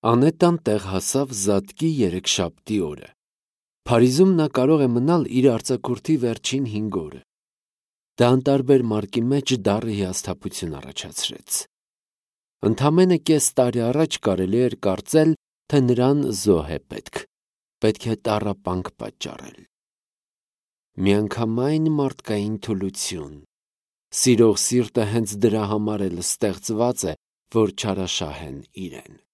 Անետան տեղ հասավ Զատկի երեքշաբթի օրը։ Փարիզում նա կարող է մնալ իր արձակուրդի վերջին 5 օրը։ Դա անտարբեր Մարկի մեջ դառը հիասթափություն առաջացրեց։ Ընդամենը կես տարի առաջ կարելի էր կարծել, թե նրան զոհ է պետք է տառապանք պատճառել։ Միանգամայն մարդկային թուլություն։ Սիրող սիրտը հենց դրա համար էլ ստեղծված է, որ չարաշահեն իրեն։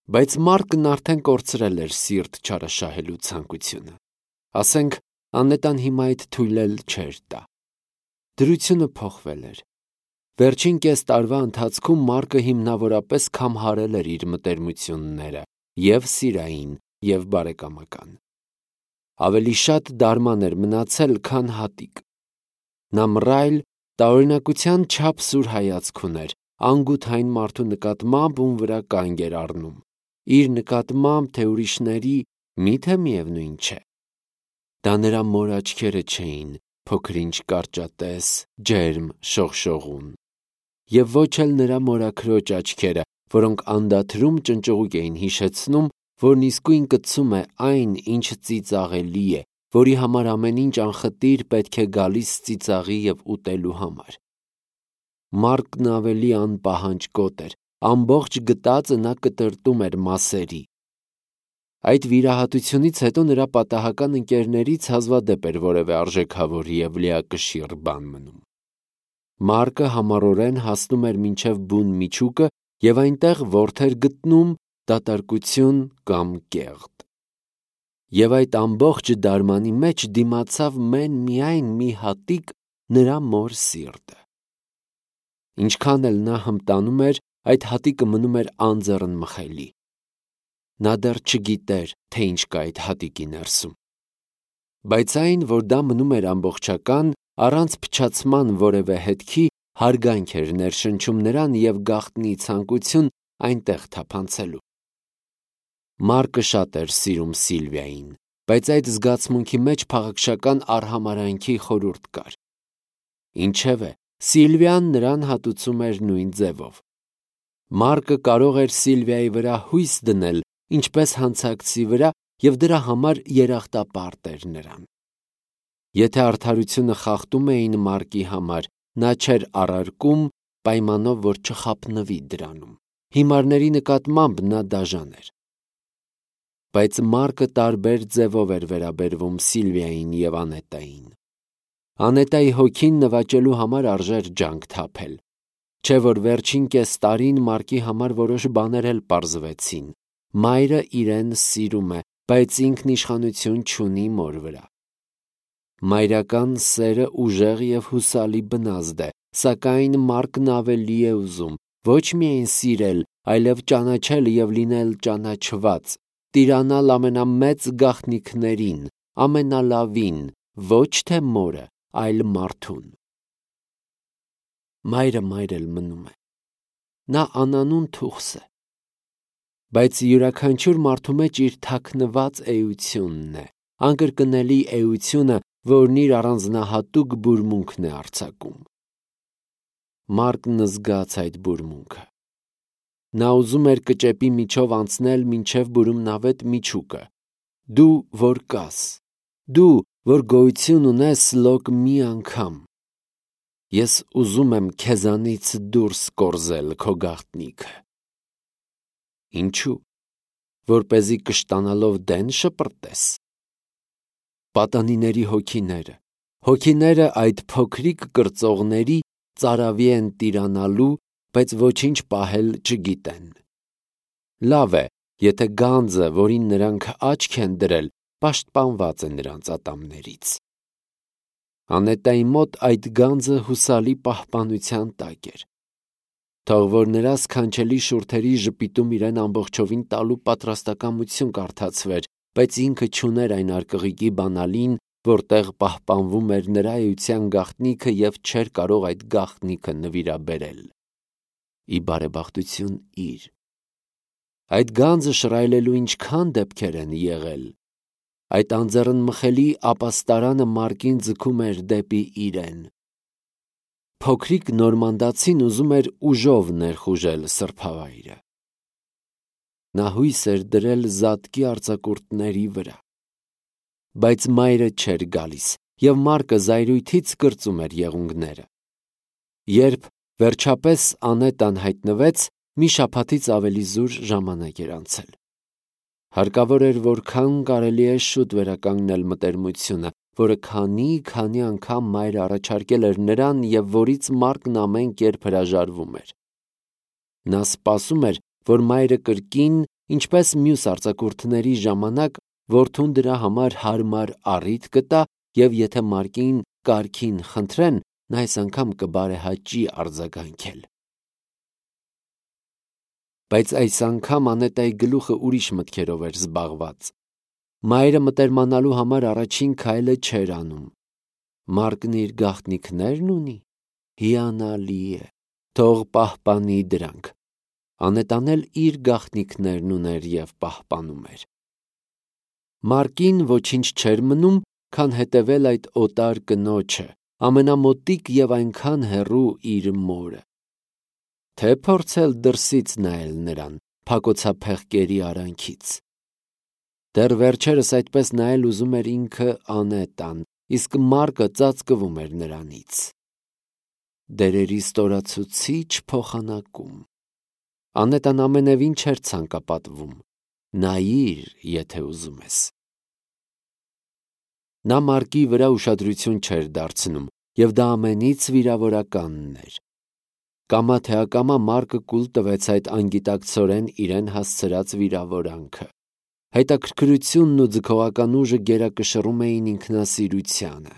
Բայց Մարկն արդեն կորցրել էր սիրտ չարաշահելու ցանկությունը։ Ասենք, Անետան հիմա այդ թույլ էլ չէր տա։ Դրությունը փոխվել էր։ Վերջին կես տարվա ընթացքում Մարկը հիմնավորապես քամհարել էր իր մտերմությունները, և սիրային, և բարեկամական։ Ավելի շատ դարման էր մնացել, քան հատիկ։ Նա մռայլ, տարօրինակության չափ սուր հայացք ուներ, անգութային մարդու նկատմամբ, ում վրա կանգ էր առնում, իր նկատմամբ, թե ուրիշների, միթե միևնույն չէ։ Դա նրա մոր աչքերը չէին, փոքր-ինչ կարճատես, ջերմ, շողշողուն, և ոչ էլ նրա մորաքրոջ աչքերը, որոնք անդադրում ճնճղուկ էին հիշեցնում, որն իսկույն կցում է այն, ինչը ծիծաղելի է, որի համար ամեն ինչ անխտիր պետք է գալիս ծիծաղի և ուտելու համար։ Մարկն ավելի անպահանջկոտ էր, ամբողջ գտածը նա կտրտում էր մասերի։ Այդ վիրահատությունից հետո նրա պատահական ընկերներից հազվադեպ էր որևէ արժեքավոր և լիակշիռ բան մնում։ Մարկը համառորեն հասնում էր մինչև բուն միջուկը և այնտեղ որդեր էր գտնում, դատարկություն կամ կեղտ։ Եվ այդ ամբողջ դարմանի մեջ դիմացավ միայն մի հատիկ՝ նրա մոր սիրտը։ Ինչքան էլ նա հմտանում էր, այդ հատիկը մնում էր անձեռնմխելի։ Նա դեռ չգիտեր, թե ինչ կա այդ հատիկի ներսում։ Բայց այն, որ դա մնում էր ամբողջական, առանց փչացման որևէ հետքի, հարգանք էր ներշնչում նրան և գաղտնի ցանկություն այնտեղ թափանցելու։ Մարկը շատ էր սիրում Սիլվիային, բայց այդ զգացմունքի մեջ փաղաքշական արհամարհանքի խորհուրդ կար։ Ինչևէ, Սիլվիան նրան հատուցում էր նույն ձևով։ Մարկը կարող էր Սիլվիայի վրա հույս դնել, ինչպես հանցակցի վրա, և դրա համար երախտապարտ էր նրան։ Եթե արդարությունը խախտում էին Մարկի համար, նա չէր առարկում, պայմանով, որ չխաբնվի դրանում։ Հիմարների նկատմամբ նա դաժան էր։ Բայց Մարկը տարբեր ձևով էր վերաբերվում Սիլվիային և Անետային։ Անետայի հոգին նվաճելու համար արժեր ջանք թափել։ Չէ՞ որ վերջին կես տարին Մարկի համար որոշ բաներ էլ պարզվեցին։ Մայրը իրեն սիրում է, բայց ինքն իշխանություն չունի մոր վրա։ Մայրական սերը ուժեղ և հուսալի բնազդ է, սակայն Մարկն ավելի է ուզում ոչ միայն սիրել, այլև ճանաչել և լինել ճանաչված, տիրանալ ամենամեծ գաղտնիքներին, ամենալավին, ոչ թե մորը, այլ մարդուն։ Մայրը մայր էլ մնում է։ Նա անանուն թուխս է։ Բայց յուրաքանչյուր մարդու մեջ իր թաքնված էությունն է, անկրկնելի էությունը, որն իր առանձնահատուկ բուրմունքն է արձակում։ Մարկն զգաց այդ բուրմունքը։ Նա ուզում էր կճեպի միջով անցնել մինչև բուրումնավետ միջուկը։ Դու, որ կաս, դու, որ գոյություն ունես լոկ մի անգամ, ես ուզում եմ քեզանից դուրս կորզել քո գաղտնիքը։ Ինչու՞։ Որպեսզի կշտանալով դեն շպրտես։ Պատանիների հոգիները այդ փոքրիկ կրծողների ծարավի են տիրանալու, բայց ոչինչ պահել չգիտեն։ Լավ է, եթե գանձը, որին նրանք աչք են դրել, պաշտպանված է նրանց ատամներից։ Անետայի մոտ այդ գանձը հուսալի պահպանության տակ էր։ Թող որ նրա սքանչելի շուրթերի ժպիտում իրեն ամբողջովին տալու պատրաստակամություն կարդացվեր, բայց ինքը չուներ այն արկղիկի բանալին, որտեղ պահպանվում էր նրա էության գաղտնիքը և չէր կարող այդ գաղտնիքը նվիրաբերել։ Ի բարեբախտություն իր։ Այդ գանձը շռայլելու ինչքան դեպքեր են եղել։ Այդ անձեռնմխելի ապաստարանը Մարկին ձգում էր դեպի իրեն։ Փոքրիկ նորմանդացին ուզում էր ուժով ներխուժել սրբավայրը։ Նա հույս էր դրել զատկի արձակուրդների վրա։ Բայց մայրը չէր գալիս, և Մարկը զայրույթից կրծում էր եղունգները։ Երբ վերջապես Անետան հայտնվեց, մի շաբաթից ավելի զուր ժամանակ էր անցել։ Հարկավոր էր որքան կարելի է շուտ վերականգնել մտերմությունը, որը քանի անգամ մայրը առաջարկել էր նրան և որից Մարկն ամեն կերպ հրաժարվում էր։ Նա սպասում էր, որ մայրը կրկին, ինչպես մյուս արձակուրդների ժամանակ, որդուն դրա համար հարմար առիթ կտա և եթե Մարկին կարգին խնդրեն, նա այս անգամ կբարեհաճի արձագանքել։ Բայց այս անգամ Անետայի գլուխը ուրիշ մտքերով էր զբաղված։ Մայրը մտերմանալու համար առաջին քայլը չէր անում։ Մարկն իր գաղտնիքներն ունի։ Հիանալի է, թող պահպանի դրանք։ Անետան էլ իր գաղտնիքներն ուներ և պահպանում էր։ Մարկին ոչինչ չէր մնում, քան հետևել այդ օտար կնոջը, ամենամոտիկ և այնքան հեռու իր մորը։ Թե փորձել դրսից նայել նրան, փակոցափեղկերի արանքից։ Դեռ վերջերս այդպես նայել ուզում էր ինքը Անետան, իսկ Մարկը ծածկվում էր նրանից։ Դերերի ստորացուցիչ փոխանակում։ Անետան ամենևին չէր ցանկապատվում։ Նայիր, եթե ուզում ես։ Նա Մարկի վրա ուշադրություն չէր դարձնում, և դա ամենից վիրավորականն էր։ Կամա թե ակամա Մարկը կուլ տվեց այդ անգիտակցորեն իրեն հասցրած վիրավորանքը։ Հետաքրքրությունն ու ձգողական ուժը գերակշռում էին ինքնասիրությանը։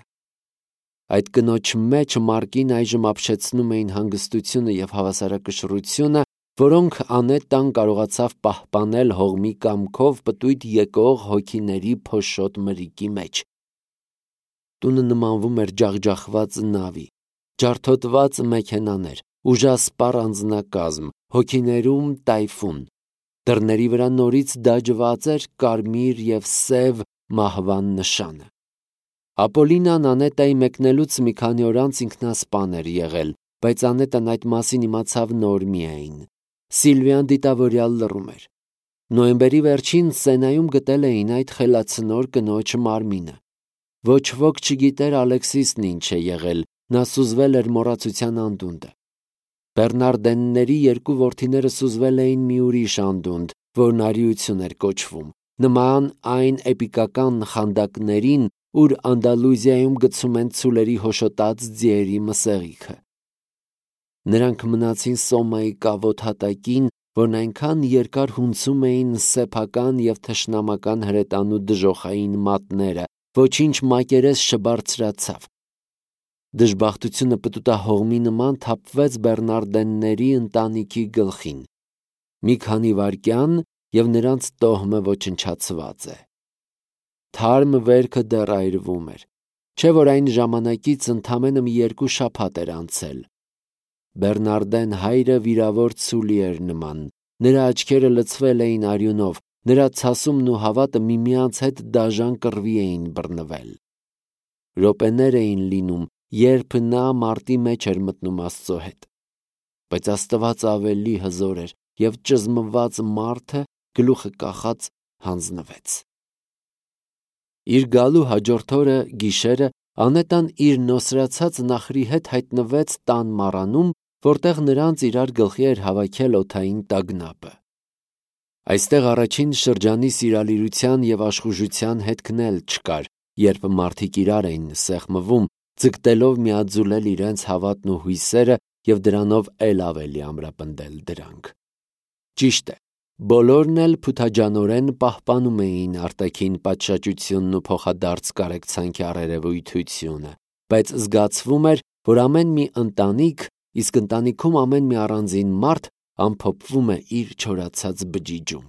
Այդ կնոջ մեջ Մարկին այժմ ապշեցնում էին հանգստությունը և հավասարակշռությունը, որոնք Անետան կարողացավ պահպանել հողմի կամքով պտույտ եկող հոգիների փոշոտ մրիկի մեջ։ Տունը նմանվում էր ջախջախված նավի, ջարդոտված մեքենաներ, ուժասպառ անձնակազմ, հոգիներում տայֆուն։ Դռների վրա նորից դաջված էր կարմիր և սև մահվան նշանը։ Ապոլինան Անետայի մեկնելուց մի քանի օր անց ինքնասպան էր եղել, բայց Անետան այդ մասին իմացավ նոր միայն։ Սիլվիան դիտավորյալ լռում էր։ Նոյեմբերի վերջին Սենայում գտել էին այդ խելացնոր կնոջ մարմինը։ Ոչ ոք չգիտեր Ալեքսիսն ինչ է եղել, նա սուզվել էր մոռացության անդունդը։ Բեռնարդենների երկու որդիները սուզվել էին մի ուրիշ անդունդ, որն արիություն էր կոչվում, նման այն էպիկական խանդակներին, ուր Անդալուզիայում գցում են ցուլերի հոշոտած ձիերի մսեղիքը։ Նրանք մնացին Սոմայի կավոտ հատակին, որն այնքան երկար հունցում էին սեփական և թշնամական հրետանու դժոխային մատները, ոչինչ մակերես չբարձրացավ։ Դժբախտությունը պտուտահողմի նման թափվեց Բեռնարդենների ընտանիքի գլխին։ Մի քանի վայրկյան, և նրանց տոհմը ոչնչացված է։ Թարմ վերքը դեռ այրվում էր, չէ՞ որ այն ժամանակից ընդամենը մի 2 շաբաթ էր անցել։ Բեռնարդեն հայրը վիրավոր ցուլի էր նման, նրա աչքերը լցվել էին արյունով, նրա ցասումն ու հավատը միմյանց հետ դաժան կռվի էին բռնվել։ Րոպեներ էին լինում, երբ նա մարտի մեջ էր մտնում Աստծո հետ։ Բայց Աստված ավելի հզոր էր, և ճզմված մարդը, գլուխը կախած, հանձնվեց։ Իր գալու հաջորդ օրը գիշերը Անետան իր նոսրացած նախրի հետ հայտնվեց տան մառանում, որտեղ նրանց իրար գլխի էր հավաքել օդային տագնապը։ Այստեղ առաջին շրջանի սիրալիրության և աշխուժության հետքն էլ չկար, երբ մարդիկ իրար էին սեղմվում, ձգտելով միաձուլել իրենց հավատն ու հույսերը և դրանով էլ ավելի ամրապնդել դրանք։ Ճիշտ է, բոլորն էլ փութաջանորեն պահպանում էին արտաքին պատշաճությունն ու փոխադարձ կարեկցանքի առերևույթությունը, բայց զգացվում էր, որ ամեն մի ընտանիք, իսկ ընտանիքում ամեն մի առանձին մարդ ամփոփվում է իր չորացած բջիջում։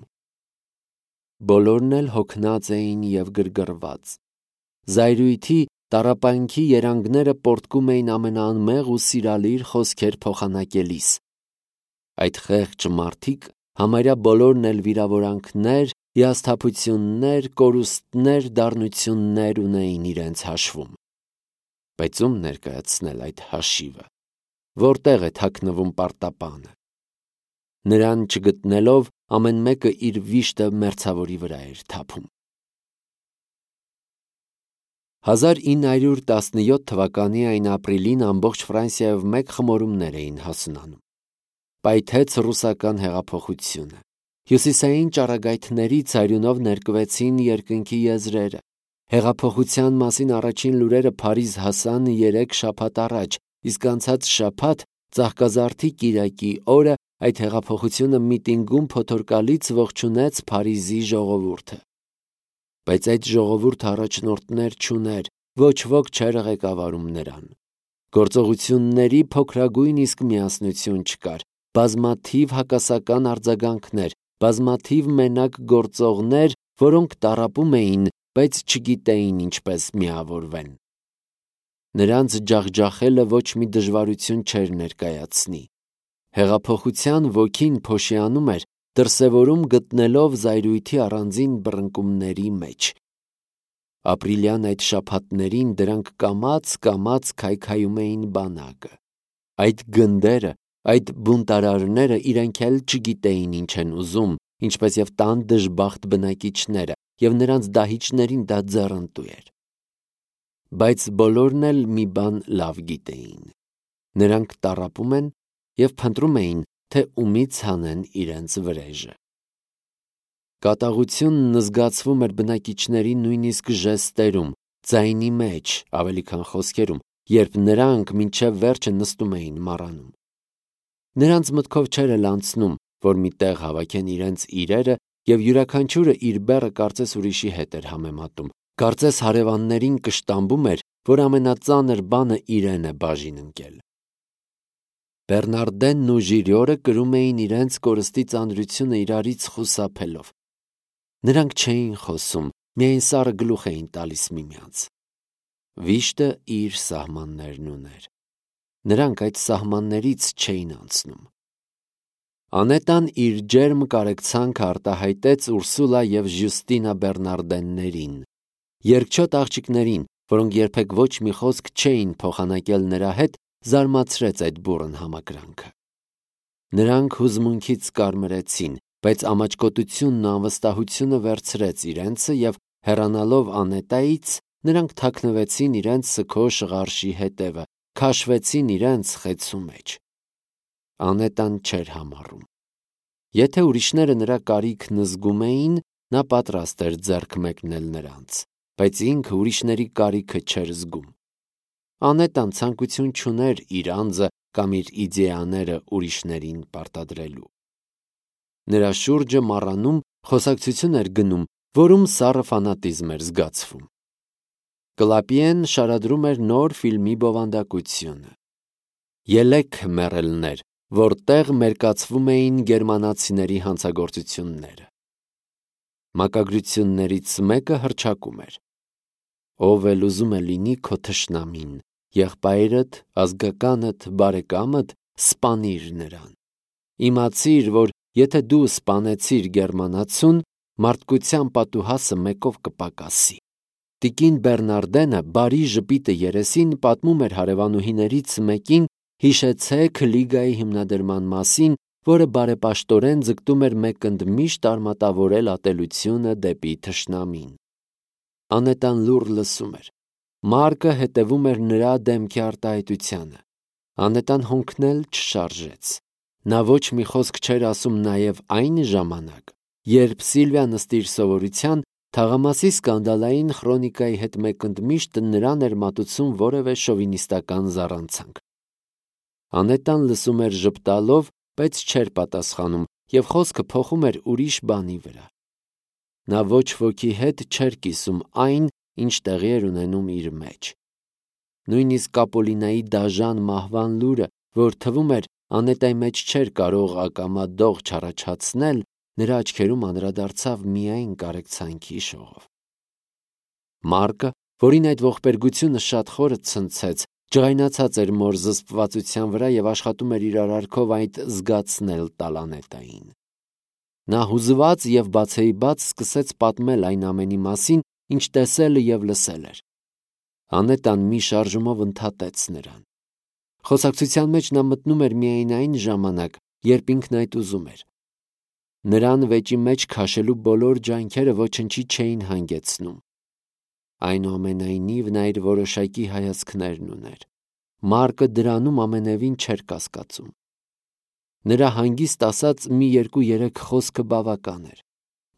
Բոլորն էլ հոգնած էին և գրգռված։ Զայրույթի, տառապանքի երանգները պոռթկում էին ամենաանմեղ ու սիրալիր խոսքեր փոխանակելիս։ Այդ խեղճ մարդիկ համարյա բոլորն էլ վիրավորանքներ, հիասթափություններ, կորուստներ, դառնություններ ունեին իրենց հաշվում։ Բայց ում ներկայացնել այդ հաշիվը։ Որտեղ է թաքնվում պարտապանը։ Նրան չգտնելով, ամեն մեկը իր վիշտը մերձավորի վրա էր թափում։ 1917 թվականի այն ապրիլին ամբողջ Ֆրանսիայով մեկ խմորումներ էին հասունանում։ Պայթեց ռուսական հեղափոխությունը։ Հյուսիսային ճառագայթներից արյունով ներկվեցին երկնքի եզրերը։ Հեղափոխության մասին առաջին լուրերը Փարիզ հասան 3 շաբաթ առաջ, իսկ անցած շաբաթ Ծաղկազարդի կիրակի օրը այդ հեղափոխությունը միտինգում փոթորկալից ողջունեց Փարիզի ժողովուրդը։ Բայց այդ ժողովուրդը առաջնորդներ չուներ, ոչ ոք չէր ղեկավարում նրան։ Գործողությունների փոքրագույն իսկ միասնություն չկար, բազմաթիվ հակասական արձագանքներ, բազմաթիվ մենակ գործողներ, որոնք տառապում էին, բայց չգիտեին ինչպես միավորվեն։ Նրանց ջախջախելը ոչ մի դժվարություն չէր ներկայացնի։ Հեղափոխության ոգին փոշիանում էր, դրսևորում գտնելով զայրույթի առանձին բռնկումների մեջ։ Ապրիլյան այդ շաբաթներին դրանք կամաց քայքայում էին բանակը։ Այդ գնդերը, այդ բունտարարները իրենք էլ չգիտեին ինչ են ուզում, ինչպես եւ տան դժբախտ բնակիչները, եւ նրանց դահիճներին դա ձեռնտու էր։ Բայց բոլորն էլ մի բան լավ գիտեին. նրանք տառապում են եւ փնտրում էին, թե ումից հանեն իրենց վրեժը։ Կատաղությունն զգացվում էր բնակիչների նույնիսկ ժեստերում, ձայնի մեջ, ավելի քան խոսքերում, երբ նրանք մինչև վերջը նստում էին մառանում։ Նրանց մտքով չէր էլ անցնում, որ մի տեղ հավաքեն իրենց իրերը եւ յուրաքանչյուրը իր բեռը կարծես ուրիշի հետ էր համեմատում, կարծես հարևաններին կշտամբում էր, որ ամենածանր բանը իրեն է բաժին ընկել։ Բեռնարդենն ու Ժիրիորը կրում էին իրենց կորստի ծանրությունը իրարից խուսափելով։ Նրանք չէին խոսում, միայն սառը գլուխ էին տալիս միմյանց։ Վիշտը իր սահմաններն ուներ։ Նրանք այդ սահմաններից չէին անցնում։ Անետան իր ջերմ կարեկցանքը արտահայտեց Ուրսուլա եւ Ժյուստինա Բեռնարդեններին, երկչոտ աղջիկներին, որոնք երբեք ոչ մի խոսք չէին փոխանակել նրա հետ, զարմացրեց այդ բուռն համակրանքը։ Նրանք հուզմունքից կարմրեցին, բայց ամաչկոտությունն ու անվստահությունը վերցրեց իրենցը եւ հեռանալով Անետայից, նրանք թաքնվեցին իրենց սգո շղարշի հետևը, քաշվեցին իրենց խեցու մեջ։ Անետան չէր համառում։ Եթե ուրիշները նրա կարիքն զգում էին, նա պատրաստ էր ձեռք մեկնել նրանց, բայց ինքը ուրիշների կարիքը չէր զգում։ Անետան ցանկություն չուներ իր անձը կամ իր իդեաները ուրիշներին պարտադրելու։ Նրա շուրջը մառանում խոսակցություն էր գնում, որում սառը ֆանատիզմ էր զգացվում։ Կլապիեն շարադրում էր նոր ֆիլմի բովանդակությունը։ Ելեք մեռելներ, որտեղ մերկացվում էին գերմանացիների հանցագործությունները։ Մակագրություններից մեկը հռչակում էր. ով էլ ուզում է լինի քո թշնամին, եղբայրդ, ազգականդ, բարեկամդ, սպանիր նրան։ Իմացիր, որ եթե դու սպանեցիր գերմանացուն, մարդկության պատուհասը մեկով կպակասի։ Տիկին Բեռնարդենը բարի ժպիտը երեսին պատմում էր հարևանուհիներից մեկին, հիշեցեք լիգայի հիմնադրման մասին, որը բարեպաշտորեն ձգտում էր մեկընդմիշտ արմատավորել ատելությունը դեպի թշնամին։ Անետան լուռ լսում էր։ Մարկը հետևում էր նրա դեմքի արտահայտությանը։ Անետան հոնքնել չշարժեց։ Նա ոչ մի խոսք չէր ասում նաև այն ժամանակ, երբ Սիլվիան ըստ իր սովորության թաղամասի սկանդալային խրոնիկայի հետ մեկընդմիշտ նրան էր մատուցում որևէ շովինիստական զառանցանք։ Անետան լսում էր ժպտալով, բայց չէր պատասխանում, եւ խոսքը փոխում էր ուրիշ բանի վրա։ Նա ոչ ոքի հետ չէր կիսում այն, ինչ տեղի էր ունենում իր մեջ։ Նույնիսկ Կապոլինայի դաժան մահվան լուրը, որ թվում էր Անետայի մեջ չէր կարող ակամա դող չառաջացնել, նրա աչքերում անդրադարձավ միայն կարեկցանքի շողով։ Մարկը, որին այդ ողբերգությունը շատ խորը ցնցեց, ջղայնացած էր մոր զսպվածության վրա եւ աշխատում էր իր արարքով այդ զգացնել տալ Անետային։ Նա հուզված եւ բացեիբաց սկսեց պատմել այն ամենի մասին, ինչ տեսել եւ լսել էր։ Անետան մի շարժումով ընդհատեց նրան։ Խոսակցության մեջ նա մտնում էր միայն այն ժամանակ, երբ ինքն այդ ուզում էր։ Նրան վեճի մեջ քաշելու բոլոր ջանքերը ոչնչի չէին հանգեցնում։ Այնուամենայնիվ նա իր որոշակի հայացքներն ուներ։ Մարկը դրանում ամենևին չէր կասկածում։ Նրա հանգիստ ասած մի 2-3 խոսքը բավական էր։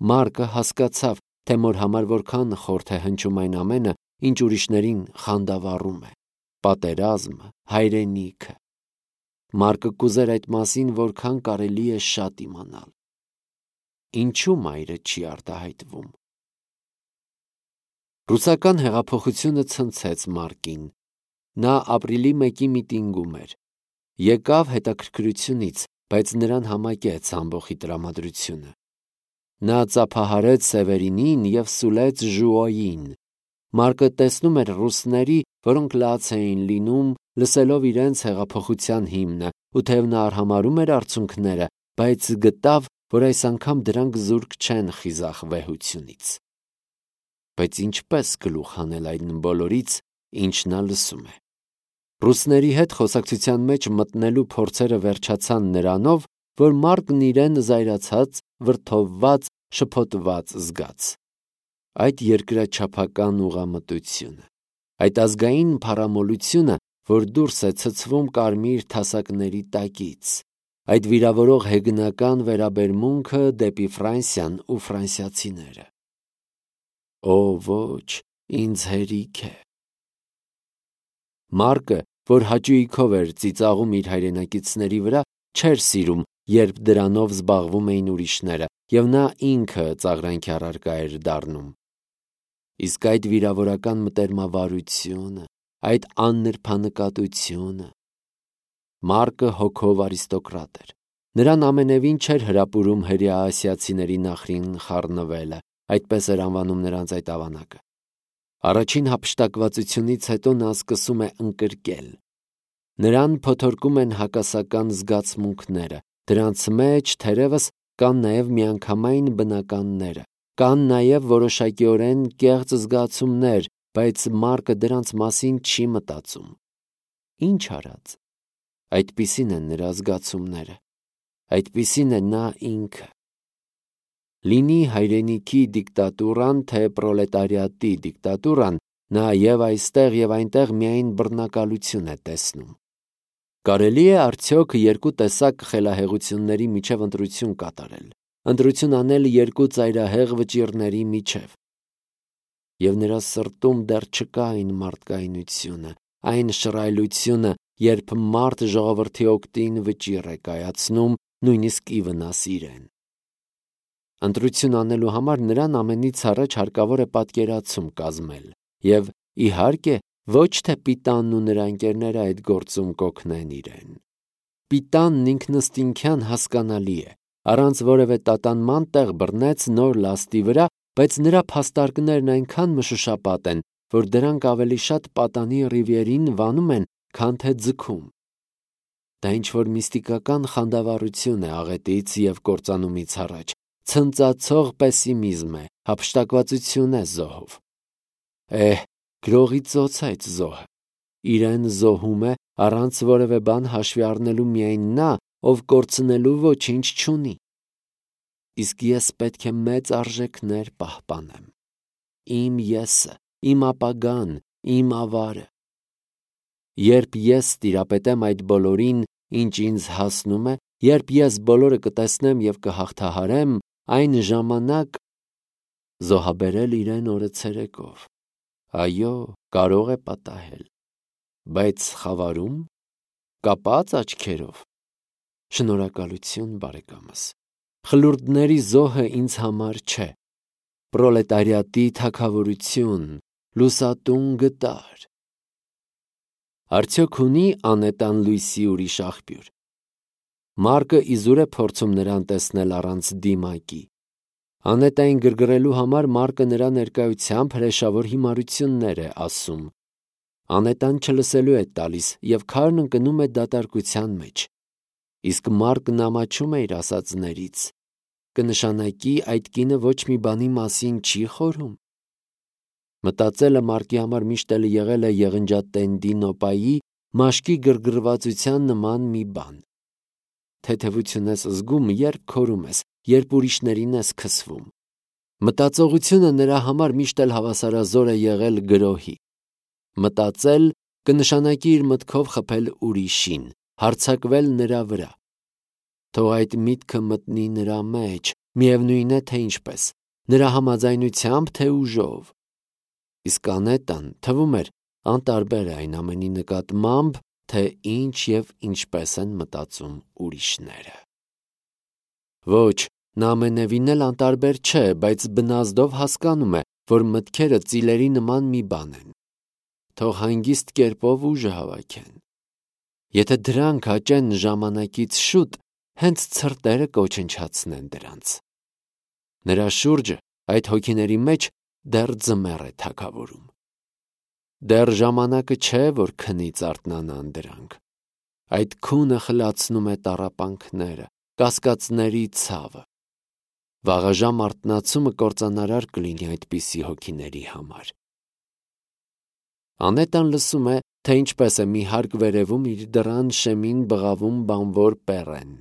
Մարկը հասկացավ, թե մոր համար որքան խորթ է հնչում այն ամենը, ինչ ուրիշներին խանդավառում է, պատերազմը, հայրենիքը։ Մարկը կուզեր այդ մասին որքան կարելի է շատ իմանալ։ Ինչու մայրը չի արտահայտվում։ Ռուսական հեղափոխությունը ցնցեց Մարկին։ Նա ապրիլի 1-ի միտինգում էր։ Եկավ հետաքրքրությունից, բայց նրան համակեց ամբոխի տրամադրությունը։ Նա ծափահարեց Սևերինին և սուլեց Ժուոյին։ Մարկը տեսնում էր ռուսների, որոնք լաց էին լինում, լսելով իրենց հեղափոխության հիմնը, ու թեև նա արհամարհում էր արդյունքները, բայց գտավ, որ այս անգամ դրանք զուրկ չեն խիզախ վեհությունից։ Բայց ինչպես գլուխ հանել այն բոլորից, ինչ նա լսում է։ Ռուսների հետ խոսակցության մեջ մտնելու փորձերը վերջացան նրանով, որ Մարկն իրեն զայրացած, վրդովված, շփոթված զգաց։ Այդ երկրաչափական ուղղամտությունը, այդ ազգային փառամոլությունը, որ դուրս է ցցվում կարմիր թասակների տակից, այդ վիրավորող հեգնական վերաբերմունքը դեպի Ֆրանսիան ու ֆրանսիացիները։ Օ, ոչ, ինձ հերիք է։ Մարկը, որ հաճույքով էր ծիծաղում իր հայրենակիցների վրա, չէր սիրում, երբ դրանով զբաղվում էին ուրիշները, և նա ինքը ծաղրանքի առարկա էր դառնում։ Իսկ այդ վիրավորական մտերմավարությունը, այդ աննրբանկատությունը։ Մարկը հոգով արիստոկրատ էր։ Նրան ամենևին չէր հրապուրում հրեաասիացիների նախրին խառնվելը, այդպես էր անվանում նրանց այդ ավանակը։ Առաջին հափշտակվածությունից հետո նա սկսում է ընկրկել։ Նրան փոթորկում են հակասական զգացմունքները, դրանց մեջ թերևս կան նաև միանգամայն բնականները, կան նաև որոշակիորեն կեղծ զգացումներ, բայց Մարկը դրանց մասին չի մտածում։ Ինչ արած։ Այդպիսին են նրա զգացումները, այդպիսին է նա ինքը։ Լինի հայրենիքի դիկտատուրան, թե պրոլետարիատի դիկտատուրան, նա և այստեղ և այնտեղ միայն բռնակալություն է տեսնում։ Կարելի է արդյոք երկու տեսակ խելահեղությունների միջև ընտրություն կատարել, ընտրություն անել երկու ծայրահեղ վճիռների միջև։ Եվ նրա սրտում դեռ չկա այն մարդկայնությունը, այն շռայլությունը, երբ մարդ ժողովրդի օգտին վճիռ է կայացնում, նույնիսկ ի վնաս իրեն։ Ընտրություն անելու համար նրան ամենից առաջ հարկավոր է պատկերացում կազմել, և, իհարկե, ոչ թե Պիտանն ու նրա ընկերները այդ գործում կօգնեն իրեն։ Պիտանն ինքնըստինքյան հասկանալի է, առանց որևէ տատանման տեղ բռնեց նոր լաստի վրա, բայց նրա փաստարկներն այնքան մշուշապատ են, որ դրանք ավելի շատ պատանի ռիվիերին վանում են, քան թե ձգում։ Դա ինչ-որ միստիկական խանդավառություն է աղետից և կործանումից առաջ, ցնծացող պեսիմիզմ է, հափշտակվածություն է զոհով։ Գրողի ծոց այդ զոհը։ Իրեն զոհում է առանց որևէ բան հաշվի առնելու միայն նա, ով կորցնելու ոչինչ չունի։ Իսկ ես պետք է մեծ արժեքներ պահպանեմ։ Իմ եսը, իմ ապագան, իմ ավարը։ Երբ ես տիրապետեմ այդ բոլորին, ինչ ինձ հասնում է, երբ ես բոլորը կտեսնեմ և կհաղթահարեմ, այն ժամանակ զոհաբերել իրեն օրը ցերեկով։ Այո, կարող է պատահել, բայց խավարում, կապած աչքերով։ Շնորհակալություն, բարեկամս։ Խլուրդների զոհը ինձ համար չէ։ Պրոլետարիատի թագավորություն, լուսատուն գտար։ Արդյոք ունի անետան լույսի ուրիշ աղբյուր։ Մարկը իզուր է փորձում նրան տեսնել առանց դիմակի։ Անետային գրգռելու համար Մարկը նրա ներկայությամբ հրեշավոր հիմարություններ է ասում։ Անետան չլսելու է տալիս և քարն ընկնում է դատարկության մեջ։ Իսկ Մարկն ամաչում է իր ասածներից։ Կնշանակի այդ կինը ոչ մի բանի մասին չի խորհում։ Մտածելը Մարկի համար միշտ էլ եղել է եղնջատենդի նոպայի մաշկի գրգռվածության նման մի բան։ թեթևություն ես զգում, երբ քորում ես, երբ ուրիշներին ես քսվում։ Մտածողությունը նրա համար միշտ էլ հավասարազոր է եղել գրոհի։ Մտածել կնշանակի իր մտքով խփել ուրիշին, հարձակվել նրա վրա։ Թող այդ միտքը մտնի նրա մեջ, միևնույն է, թե ինչպես, նրա համաձայնությամբ, թե ուժով։ Իսկ Անետան թվում էր անտարբեր է այն ամենի նկատմամբ, թե ինչ և ինչպես են մտածում ուրիշները։ Ոչ, նա ամենևին էլ անտարբեր չէ, բայց բնազդով հասկանում է, որ մտքերը ծիլերի նման մի բան են։ Թող հանգիստ կերպով ուժը հավաքեն։ Եթե դրանք հաճեն ժամանակից շուտ, հենց ցրտերը կոչնչացնեն դրանց։ Նրա շուրջը, այդ հոգիների մեջ, դեռ ձմեռ է թագավորում։ Դեռ ժամանակը չէ, որ քնից արթնանան դրանք։ Այդ քունը խլացնում է տառապանքները, կասկածների ցավը։ Վաղաժամ արթնացումը կործանարար կլինի այդպիսի հոգիների համար։ Անետան լսում է, թե ինչպես է մի հարկ վերևում իր դռան շեմին բղավում բանվոր Պեռեն։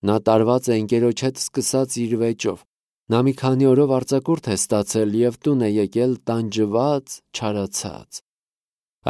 Նա տարված է ընկերոջ հետ սկսած իր վեճով։ Նա մի քանի օրով արձակուրդ է ստացել և տուն է եկել տանջված, չարացած։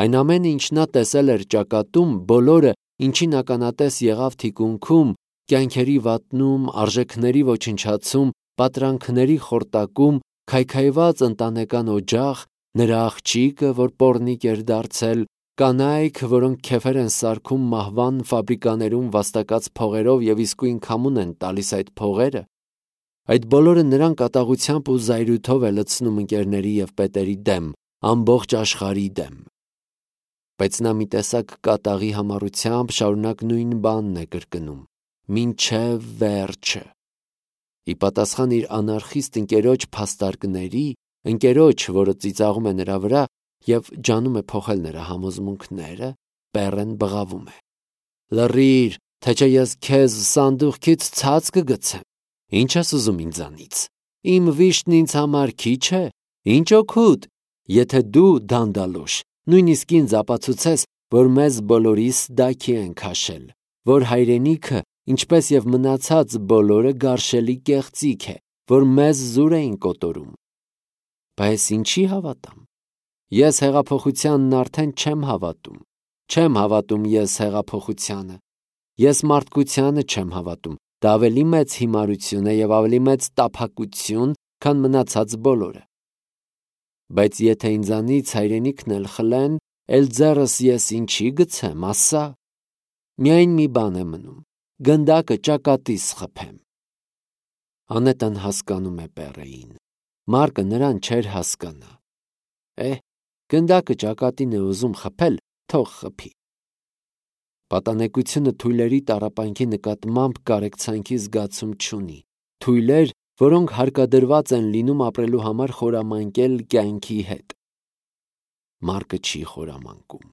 Այն ամենը, ինչ նա տեսել էր ճակատում, բոլորը, ինչին ականատես եղավ թիկունքում, կյանքերի վատնում, արժեքների ոչնչացում, պատրանքների խորտակում, քայքայված ընտանեկան օջախ, նրա աղջիկը, որ պոռնիկ էր դարձել, կանայք, որոնք քեֆեր են սարքում մահվան ֆաբրիկաներում վաստակած փողերով և իսկույն քամուն են տալիս այդ փողերը, այդ բոլորը նրան կատաղությամբ ու զայրույթով է լցնում ընկերների և պետերի դեմ, ամբողջ աշխարհի դեմ։ Բայց նա մի տեսակ կատաղի համառությամբ շարունակ նույն բանն է կրկնում, մինչև վերջը։ Ի պատասխան իր անարխիստ ընկերոջ փաստարկների, ընկերոջ, որը ծիծաղում է նրա վրա և ջանում է փոխել նրա համոզմունքները, Պեռեն բղավում է. «Լռիր, թե չէ ես քեզ սանդուղքից ցած կգցեմ։ Ինչ ես ուզում ինձանից։ Իմ վիշտն ինձ համար քիչ է։ Ինչ օգուտ, եթե դու, դանդալոշ, նույնիսկ ինձ ապացուցես, որ մեզ բոլորիս դաքի են քաշել, որ հայրենիքը, ինչպես և մնացած բոլորը, գարշելի կեղծիք է, որ մեզ զուր էին կոտորում։ Բայց ինչի հավատամ։ Ես հեղափոխությանն արդեն չեմ հավատում։ Չեմ հավատում ես հեղափոխությանը։ Ես մարդկությանը չեմ հավատում։ Դա ավելի մեծ հիմարություն է և ավելի մեծ տափակություն, քան մնացած բոլորը։ Բայց եթե ինձանից հայրենիքն էլ խլեն, էլ ձեռս ես ինչի գցեմ, ասա։ Միայն մի բան է մնում. գնդակը ճակատիս խփեմ»։ Անետան հասկանում է Պեռեին։ Մարկը նրան չէր հասկանա։ Գնդակը ճակատին է ուզում խփել, թող խփի։ Պատանեկությունը թույլերի տառապանքի նկատմամբ կարեկցանքի զգացում չունի։ Թույլեր, որոնք հարկադրված են լինում ապրելու համար խորամանկել կյանքի հետ։ Մարկը չի խորամանկում։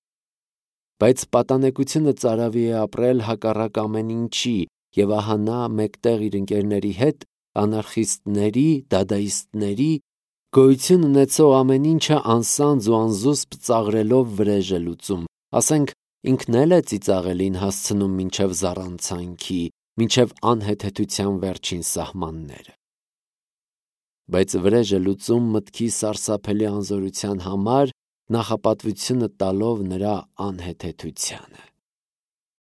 Բայց պատանեկությունը ծարավի է ապրել հակառակ ամեն ինչի, և ահա նա մեկտեղ իր ընկերների հետ, անարխիստների, դադայիստների, գոյություն ունեցող ամեն ինչը անսանձ ու անզուսպ ծաղրելով վրեժ է լուծում, ասենք ինքն էլ է ծիծաղելին հասցնում մինչև զառանցանքի, մինչև անհեթեթության վերջին սահմանները։ Բայց վրեժ է լուծում մտքի սարսափելի անզորության համար, նախապատվությունը տալով նրա անհեթեթությանը։